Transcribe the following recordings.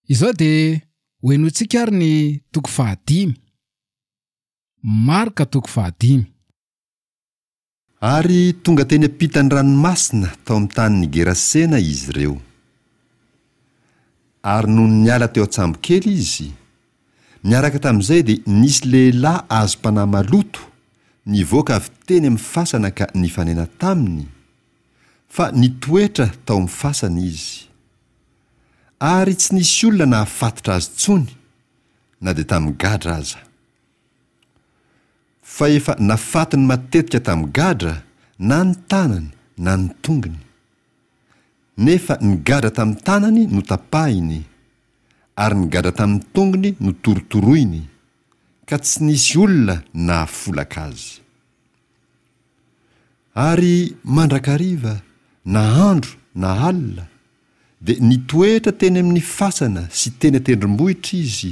Izao dia hohenointsika ary ny toko fahadimy. Marka toko fahadimy. Ary tonga teny ampitan'ny ranomasina tao amin'ny tanin'i Gerasena izy ireo. Ary nony niala teo an-tsambokely izy, niaraka tamin'izay dia nisy lehilahy azom-panahy maloto nivoaka avy teny amin'ny fasana ka nifanena taminy, fa nitoetra tao amin'ny fasana izy. Ary tsy nisy olona nahafatotra azy intsony, na dia tamin'ny gadra aza. Fa efa nafatony matetika tamin'ny gadra na ny tanany na ny tongony. Nefa ny gadra tamin'ny tanany notapahiny, ary ny gadra tamin'ny tongony notorotoroiny, ka tsy nisy olona nahafolaka azy. Ary mandrakariva, na andro na alina, dia nitoetra teny amin'ny fasana sy teny an-tendrombohitra izy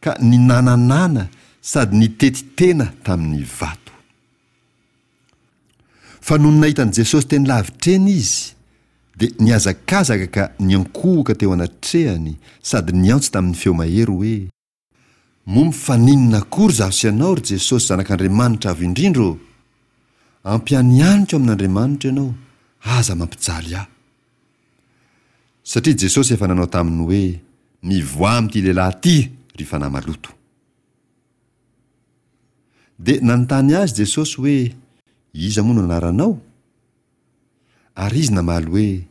ka ninananana sady nitety tena tamin'ny vato. Fa nony nahita an'i Jesosy teny lavitra eny izy, dia nihazakazaka ka niankohoka teo anatrehany sady niantso tamin'ny feo mahery hoe, Moa mifaninona akory izaho sy ianao, ry Jesosy Zanak'Andriamanitra Avo Indrindra ô? Ampianianiko amin'Andriamanitra ianao, aza mampijaly ahy. Satria Jesosy efa nanao taminy hoe, Mivoaha amin'ity lehilahy ity, ry fanahy maloto. Dia nanontany azy Jesosy hoe, Iza moa no anaranao? Ary izy namaly hoe,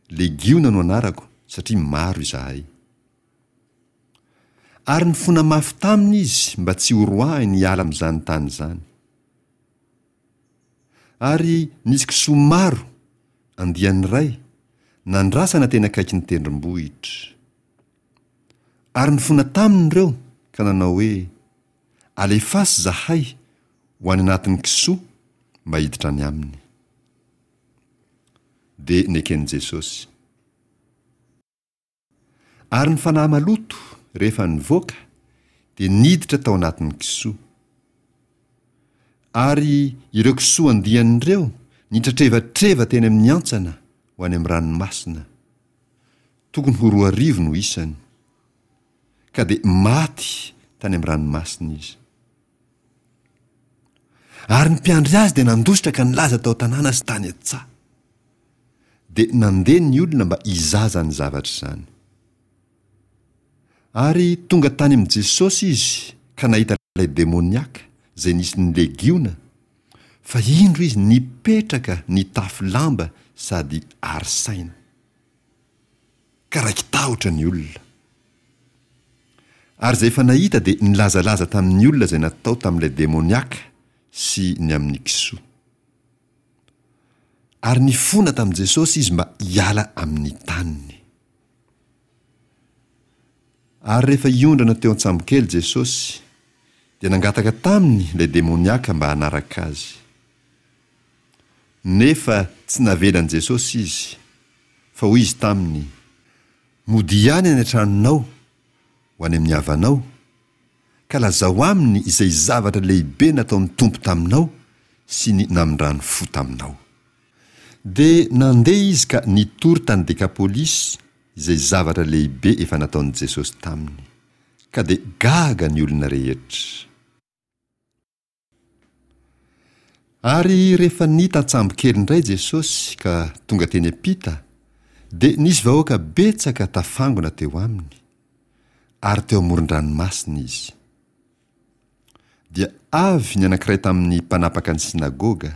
Legiona no anarako, satria maro izahay. Ary nifona mafy taminy izy mba tsy horoahiny hiala amin'izany tany izany. Ary nisy kisoa maro, andiany iray, nandrasana teny akaikin'ny tendrombohitra. Ary nifona taminy ireo ka nanao hoe, Alefaso izahay ho any anatin'ny kisoa mba hiditra any aminy. Dia neken'i Jesosy. Ary ny fanahy maloto, rehefa nivoaka, dia niditra tao anatin'ny kisoa. Ary ireo kisoa andiany ireo nitratrevatreva teny amin'ny hantsana ho any amin'ny ranomasina. Tokony ho 2000 no isany. Ka dia maty tany amin'ny ranomasina izy. Ary ny mpiandry azy dia nandositra ka nilaza tao an-tanàna sy tany an-tsaha. Dia nandeha ny olona mba hizaha izany zavatra izany. Ary tonga tany amin'i Jesosy izy ka nahita ilay demoniaka izay nisy ny legiona, fa indro izy nipetraka nitafy lamba sady ary saina. Ka raiki-tahotra ny olona. Ary izay efa nahita dia nilazalaza tamin'ny olona izay natao tamin'ilay demoniaka sy ny amin'ny kisoa. Ary nifona tamin'i Jesosy izy mba hiala amin'ny taniny. Ary rehefa hiondrana teo an-tsambokely Jesosy, dia nangataka taminy ilay demoniaka mba hanaraka azy. Nefa tsy navelan'i Jesosy izy, fa hoy izy taminy, Modia ihany any an-tranonao, ho any amin'ny havanao, ka lazao aminy izay zavatra lehibe nataon'ny Tompo taminao sy ny namindrany fo taminao. Dia nandeha izy ka nitory tany Dekapolisy izay zavatra lehibe efa nataon'i Jesosy taminy. Ka dia gaga ny olona rehetra. Ary rehefa nita an-tsambokely indray Jesosy ka tonga teny am-pita, dia nisy vahoaka betsaka tafangona teo aminy, ary teo amoron-dranomasina izy. Dia avy ny anankiray tamin'ny mpanapaka ny synagoga,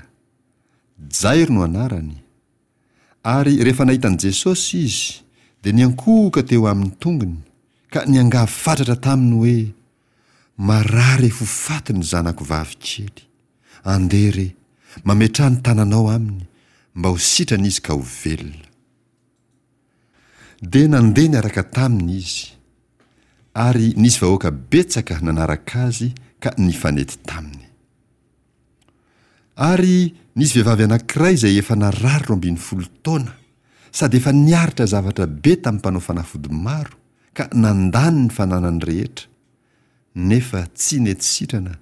Jairo no anarany, ary rehefa nahita an'i Jesosy izy, dia niankohoka teo amin'ny tongony, ka niangavy fatratra taminy hoe, Marary ho faty ny zanako vavy kely. Andeha re, mametraha ny tananao aminy, mba ho sitrana izy ka ho velona. Dia nandeha niaraka taminy izy, ary nisy vahoaka betsaka nanaraka azy ka nifanety taminy. Ary nisy vehivavy anankiray izay efa narary 12 taona, sady efa niaritra zavatra be tamin'ny mpanao fanafody maro, ka nandany ny fananany rehetra, nefa tsy nety sitrana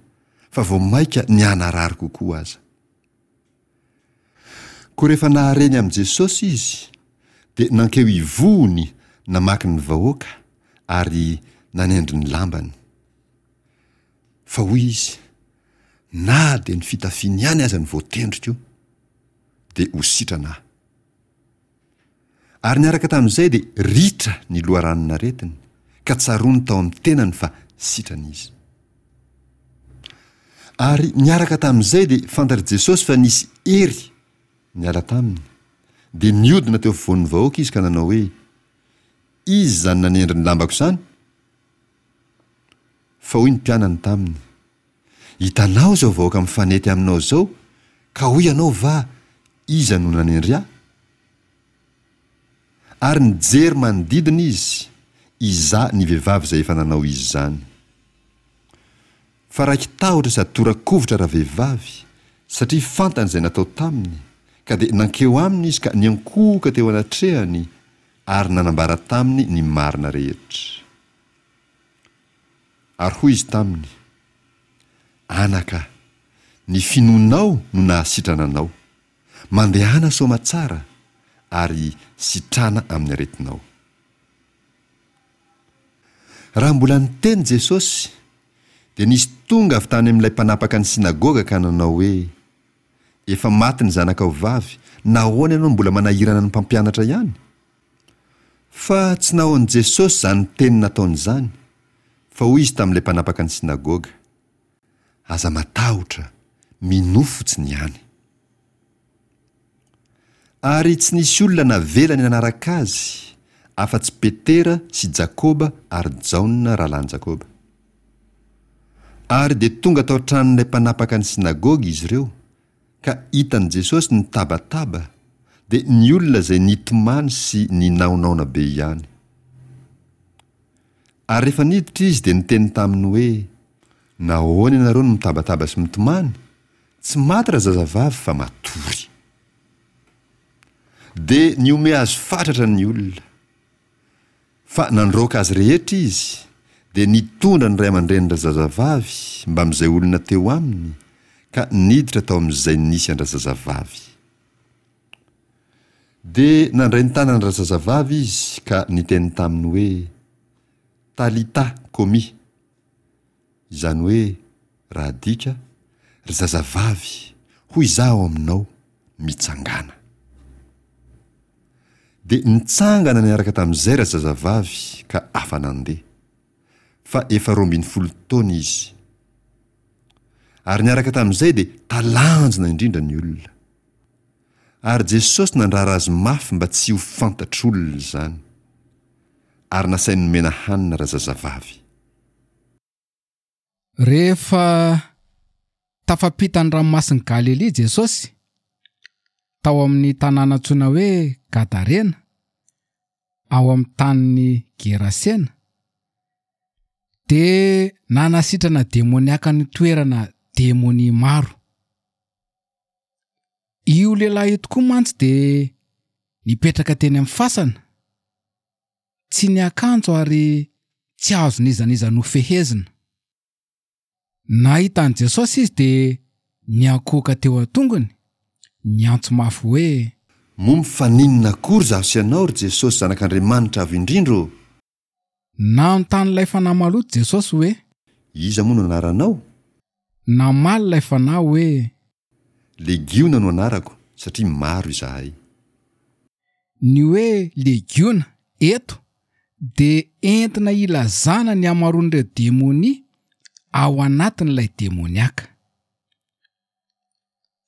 fa vao mainka nihanarary kokoa aza. Koa rehefa nahare ny amin'i Jesosy izy, dia nankeo ivohony namaky ny vahoaka. ary nanendry ny lambany. Fa hoy izy, Na dia ny fitafiany ihany aza no voatendriko, dia ho sitrana aho. Ary niaraka tamin'izay dia ritra ny loharanon'aretiny, ka tsaroany tao amin'ny tenany fa sitrana izy. Ary niaraka tamin'izay dia fantatr'i Jesosy fa nisy hery niala taminy, dia niodina teo afovoan'ny vahoaka izy ka nanao hoe, Iza izany nanendry ny lambako izany? Fa hoy ny mpianany taminy, Hitanao izao vahoaka mifanety aminao izao, ka hoy ianao va, Iza no nanendry ahy? Ary nijery manodidina izy, hizaha ny vehivavy izay efa nanao izany. Fa raiki-tahotra sady tora-kovitra ravehivavy, satria fantany izay natao taminy, ka dia nankeo aminy izy ka niankohoka teo anatrehany ary nanambara taminy ny marina rehetra. Ary hoy izy taminy, Anaka, ny finoanao no nahasitrana anao. Mandehana soamatsara, ary sitrana amin'ny aretinao. Raha mbola niteny Jesosy, dia nisy tonga avy tany amin'ilay mpanapaka ny synagoga ka nanao hoe, Efa maty ny zanakao vavy, nahoana ianao no mbola manahirana ny mpampianatra ihany? Fa tsy nahoan'i Jesosy izany teny nataony izany, fa hoy izy tamin'ilay mpanapaka ny synagoga, Aza matahotra, minoa fotsiny ihany. Ary tsy nisy olona navelany nanaraka azy, afa-tsy Petera sy Jakoba ary Jaona rahalahin'i Jakoba. Ary dia tonga tao an-tranon'ilay mpanapaka ny synagoga izy ireo, ka hitan'i Jesosy nitabataba, dia ny olona izay nitomany sy ninaonaona be ihany. Ary rehefa niditra izy dia niteny taminy hoe, Nahoana ianareo no mitabataba sy mitomany? Tsy maty razazavavy fa matory. Dia nihomehy azy fatratra ny olona. Fa nandroaka azy rehetra izy, dia nitondra ny ray aman-drenin-drazazavavy mbamin'izay olona teo aminy, ka niditra tao amin'izay nisy an-drazazavavy. Dia nandray ny tanan-drazazavavy izy ka niteny taminy hoe, Talita komi, izany hoe, raha adika, Ry zazavavy, hoy izaho aminao, mitsangàna. Dia nitsangana niaraka tamin'izay razazavavy ka afa-nandeha. Fa efa 12 taona izy. Ary niaraka tamin'izay dia talanjona indrindra ny olona. Ary Jesosy nandrara azy mafy mba tsy ho fantatr'olona izany. Ary nasainy nomena hanina razazavavy. Rehefa tafapita ny Ranomasin'i Galilia Jesosy, tao amin'ny tanàna antsoina hoe Gadarena, ao amin'ny tanin'i Gerasena, dia nanasitrana demoniaka nitoerana demonia maro. Io lehilahy io tokoa mantsy dia nipetraka teny amin'ny fasana, tsy niakanjo ary tsy azon'iza n'iza nofehezina. Nahita an'i Jesosy izy dia niankohoka teo an-tongony, niantso mafy hoe. Moa mifaninona akory izaho sy ianao, ry Jesosy Zanak'Andriamanitra Avo Indrindra ô? Nanontany ilay fanahy maloto Jesosy hoe. Iza moa no anaranao? Namaly ilay fanahy hoe. Legiona no anarako, satria maro izahay. Ny hoe legiona eto dia entina hilazana ny hamaroan'ireo demonia ao anatin'ilay demoniaka.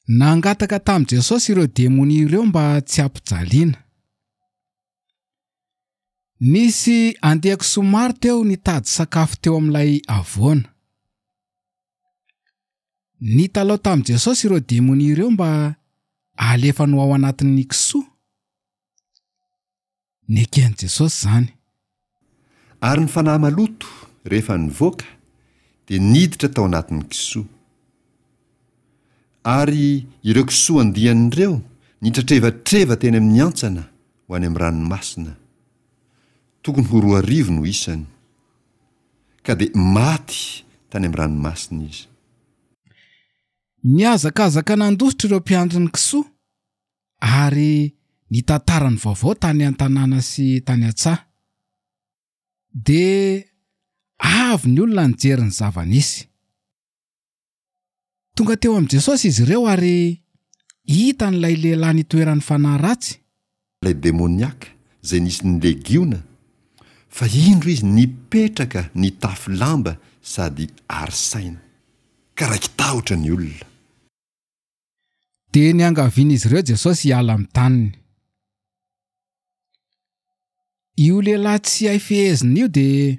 Nangataka tamin'i Jesosy ireo demonia ireo mba tsy hampijaliana. Nisy andian-kisoa maro teo nitady sakafo teo amin'ilay havoana. Nitalaho tamin'i Jesosy ireo demonia ireo mba halefany ho ao anatin'ny kisoa. Neken'i Jesosy izany. Ary ny fanahy maloto, rehefa nivoaka, dia niditra tao anatin'ny kisoa. Ary ireo kisoa andiany ireo nitratrevatreva teny amin'ny hantsana ho any amin'ny ranomasina. Tokony ho 2000 no isany. Ka dia maty tany amin'ny ranomasina izy. Nihazakazaka nandositra ireo mpiandry ny kisoa ary nitantara ny vaovao tany an-tanàna sy tany an-tsaha. Dia avy ny olona nijery ny zava-nisy. Tonga teo amin'i Jesosy izy ireo ary hitany ilay lehilahy nitoeran'ny fanahy ratsy. Ilay demoniaka izay nisy ny legiona, fa indro izy nipetraka nitafy lamba sady ary saina. Ka raiki-tahotra ny olona. Dia niangavian'izy ireo Jesosy hiala amin'ny taniny. Io lehilahy tsy hay fehezina io dia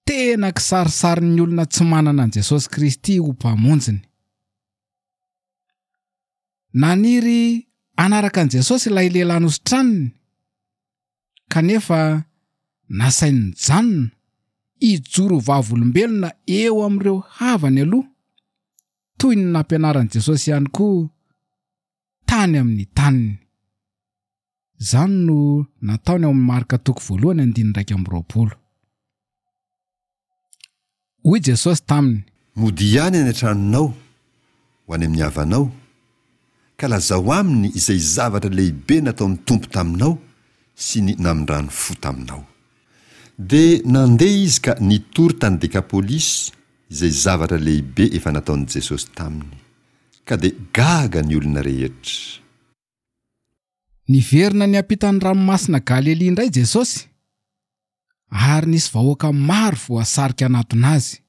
tena kisarisarin'ny olona tsy manana an'i Jesosy Kristy ho Mpamonjiny. Naniry hanaraka an'i Jesosy ilay lehilahy nositraniny, kanefa nasainy nijanona hijoro ho vavolombelona eo amin'ireo havany aloha, toy ny nampianaran'i Jesosy ihany koa tany amin'ny taniny. Izany no nataony ao amin'ny Marka toko voalohany andininy 21. Hoy Jesosy taminy. Modia ihany any an-tranonao, ho any amin'ny havanao, ka lazao aminy izay zavatra lehibe nataon'ny Tompo taminao sy ny namindrany fo taminao. Dia nandeha izy ka nitory tany Dekapolisy izay zavatra lehibe efa nataon'i Jesosy taminy. Ka dia gaga ny olona rehetra. Niverina niampita ny Ranomasina Galilia indray Jesosy, ary nisy vahoaka maro voasarika hanatona azy.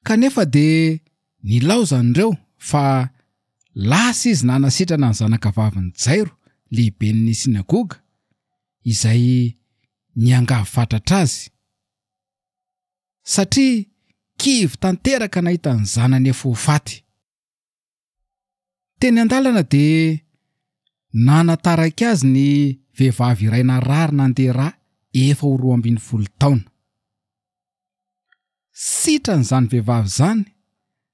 Kanefa dia nilaozany ireo fa lasa izy nanasitrana ny zanakavavin'i Jairo, lehiben'ny synagoga, izay niangavy fatratra azy. Satria kivy tanteraka nahita ny zanany efa ho faty. Teny an-dalana dia nanataraiky azy ny vehivavy iray narary nandeha rà efa ho 12 taona. Sitrana izany vehivavy izany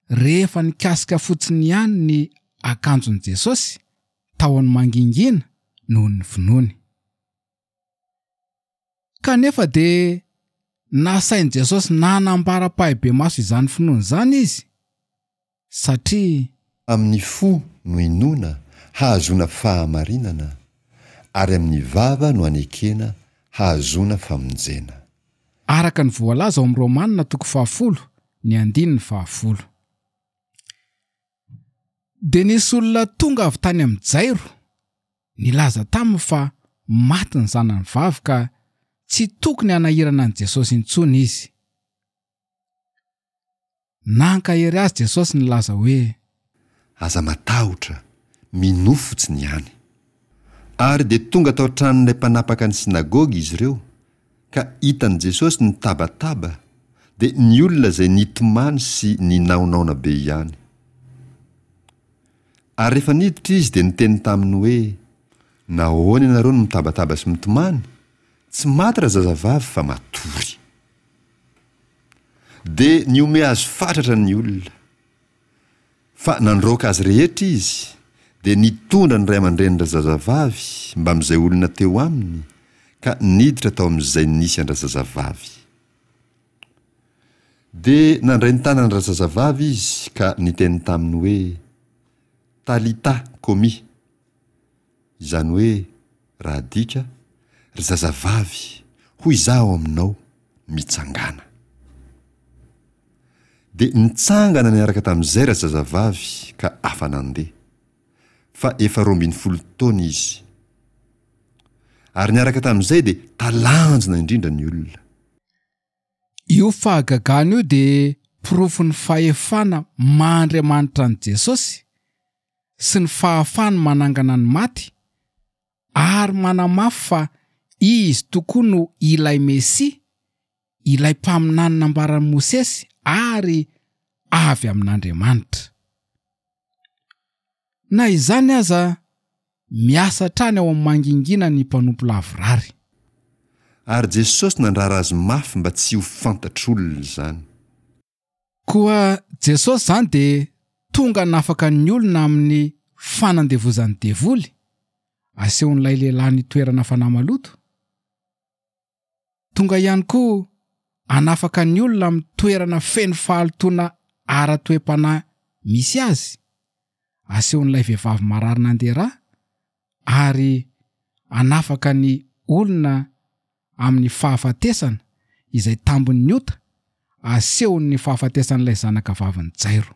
rehefa nikasika fotsiny ihany ny akanjon'i Jesosy tahony mangingina noho ny finoany. Kanefa dia nasain'i Jesosy nanambara ampahibemaso izany finoany izany izy, satria. Amin'ny fo no inoana hahazoana fahamarinana, ary amin'ny vava no anekena hahazoana famonjena. Araka ny voalaza ao amin'ny Romana toko fahafolo, ny andininy fahafolo. Dia nisy olona tonga avy tany amin'i Jairo, nilaza taminy fa maty ny zanany vavy ka tsy tokony hanahirana an'i Jesosy intsony izy. Nankahery azy Jesosy nilaza hoe. Aza matahotra, minoa fotsiny ihany. Ary dia tonga tao an-tranon'ilay mpanapaka ny synagoga izy ireo, ka hitan'i Jesosy nitabataba, dia ny olona izay nitomany sy ninaonaona be ihany. Ary rehefa niditra izy dia niteny taminy hoe, Nahoana ianareo no mitabataba sy mitomany? Tsy maty razazavavy fa matory. Dia nihomehy azy fatratra ny olona. Fa nandroaka azy rehetra izy, dia nitondra ny ray aman-drenin-drazazavavy mbamin'izay olona teo aminy, ka niditra tao amin'izay nisy an-drazazavavy. Dia nandray ny tanan-drazazavavy izy ka niteny taminy hoe, Talità komi! Izany hoe, raha adika, Ry zazavavy, hoy izaho aminao, mitsangàna. Dia nitsangana niaraka tamin'izay razazavavy ka afa-nandeha. Fa efa 12 taona izy. Ary niaraka tamin'izay dia talanjona indrindra ny olona. Io fahagagana io dia porofon'ny fahefana maha Andriamanitra an'i Jesosy sy ny fahafahany manangana ny maty ary manamafy fa Izy tokoa no ilay Mesia, ilay mpaminany nambaran'i Mosesy ary avy amin'Andriamanitra. Na izany aza, miasa hatrany ao amin'ny mangingina ny mpanompo lavorary. Ary Jesosy nandrara azy mafy mba tsy ho fantatr'olona izany. Koa Jesosy izany dia tonga hanafaka ny olona amin'ny fanandevozan'ny devoly, asehon'ilay lehilahy nitoerana fanahy maloto. Tonga ihany koa hanafaka ny olona amin'ny toerana feno fahalotoana ara-toe-panahy misy azy, asehon'ilay vehivavy marary nandeha ra, ary hanafaka ny olona. amin'ny fahafatesana izay tambin'ny ota asehon'ny fahafatesan'ilay zanakavavin'i Jairo.